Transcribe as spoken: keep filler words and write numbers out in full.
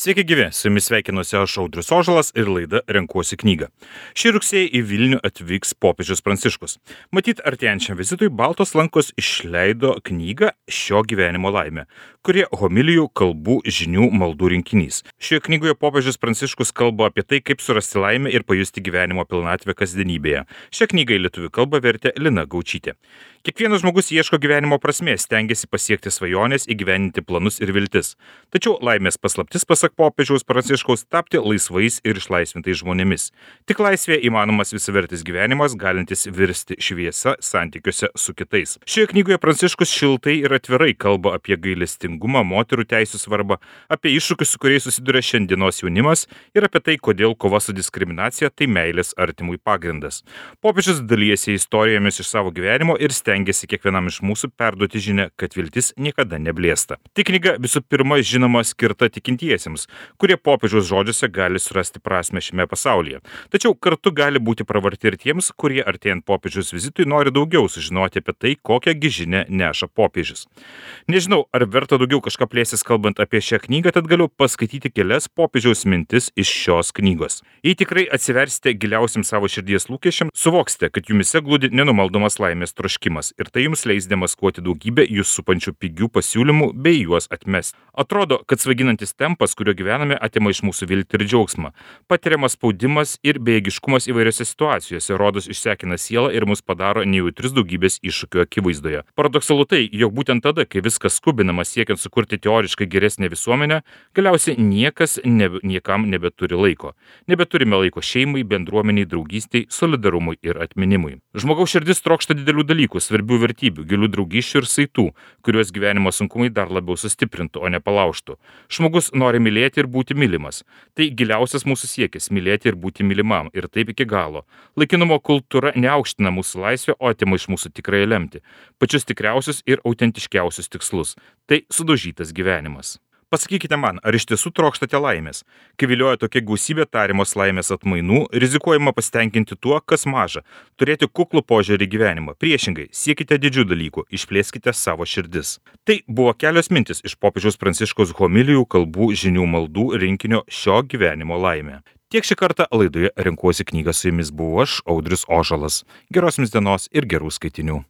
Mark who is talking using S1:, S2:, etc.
S1: Sveiki gyvi, su jumis sveikinuosi aš Audrius Ožalas ir laida Renkuosi knygą. Šį rugsėjį į Vilnių atvyks popiežius Pranciškus. Matyt, artėjančiam vizitui Baltos lankos išleido knygą Šio gyvenimo laimė, kurie homilijų, kalbų, žinių, maldų rinkinys. Šioje knygoje popiežius Pranciškus kalba apie tai, kaip surasti laimę ir pajusti gyvenimo pilnatvę kasdienybėje. Šią knygą į lietuvių kalbą vertė Lina Gaučytė. Kiekvienas žmogus ieško gyvenimo prasmės, stengiasi pasiekti svajonės, įgyvendinti planus ir viltis. Tačiau laimės paslaptis, pasak popiežiaus Pranciškaus, tapti laisvais ir išlaisvintais žmonėmis. Tik laisvėje įmanomas visavertis gyvenimas, galintis virsti šviesa santykiuose su kitais. Šioje knygoje Pranciškus šiltai ir atvirai kalba apie gailestingumą, moterų teisų svarbą, apie iššūkius, su kuriais susiduria šiandienos jaunimas ir apie tai, kodėl kova su diskriminacija tai meilės artimui pagrindas. Popiežius dalyjasi istorijomis iš savo gyvenimo ir stengiasi kiekvienam iš mūsų perduoti žinią, kad viltis niekada neblėsta. Tik knyga visų pirma žinoma skirta tikintiesiems, kurie popiežiaus žodžiuose gali surasti prasmę šiame pasaulyje. Tačiau kartu gali būti pravarti ir tiems, kurie artėjant popiežiaus vizitui nori daugiau sužinoti apie tai, kokią gi žinią neša popiežius. Nežinau, ar verta daugiau kažką plėsis kalbant apie šią knygą, tad galiu paskaityti kelias popiežiaus mintis iš šios knygos. Jei tikrai atsiversite giliausiam savo širdies lūkesčiam, suvoksite, kad jumise glūdi nenumaldomas laimės troškimas ir tai jums leis demaskuoti daugybę jūs supančių pigių pasiūlymų bei juos atmesti. Atrodo, kad svaiginantis tempas, kurio gyvename, atima iš mūsų viltį ir džiaugsmą. Patiriamas spaudimas ir bejėgiškumas įvairiose situacijose rodos išsekina sielą ir mus padaro nejautrius daugybės iššūkių akivaizdoje. Paradoksalu tai, jog būtent tada, kai viskas skubinama siekiant sukurti teoriškai geresnę visuomenę, galiausiai niekas nebe, niekam nebeturi laiko. Nebeturime laiko šeimai, bendruomeniai, draugystei, solidarumui ir atminimui. Žmogaus širdis trokšta didelių dalykų, svarbių vertybių, gilių draugysčių ir saitų, kuriuos gyvenimo sunkumai dar labiau sustiprintų, o ne palaužtų. Žmogus nori mylėti ir būti mylimas. Tai giliausias mūsų siekis - mylėti ir būti mylimam, ir taip iki galo. Laikinumo kultūra neaukština mūsų laisvę, o atima iš mūsų tikrąją lemtį, pačius tikriausius ir autentiškiausius tikslus. Tai sudaužytas gyvenimas. Pasakykite man, ar iš tiesų trokštate laimės? Kai vilioja tokia gausybė tariamos laimės atmainų, rizikuojama pasitenkinti tuo, kas maža, turėti kuklų požiūrį į gyvenimą. Priešingai, siekite didžių dalykų, išplėskite savo širdis. Tai buvo kelios mintis iš popiežiaus Pranciškaus homilijų, kalbų, žinių, maldų rinkinio Šio gyvenimo laimė. Tiek šį kartą laidoje Renkuosi knygą, su jumis buvau aš, Audrius Ožalas. Geros jums dienos ir gerų skaitinių.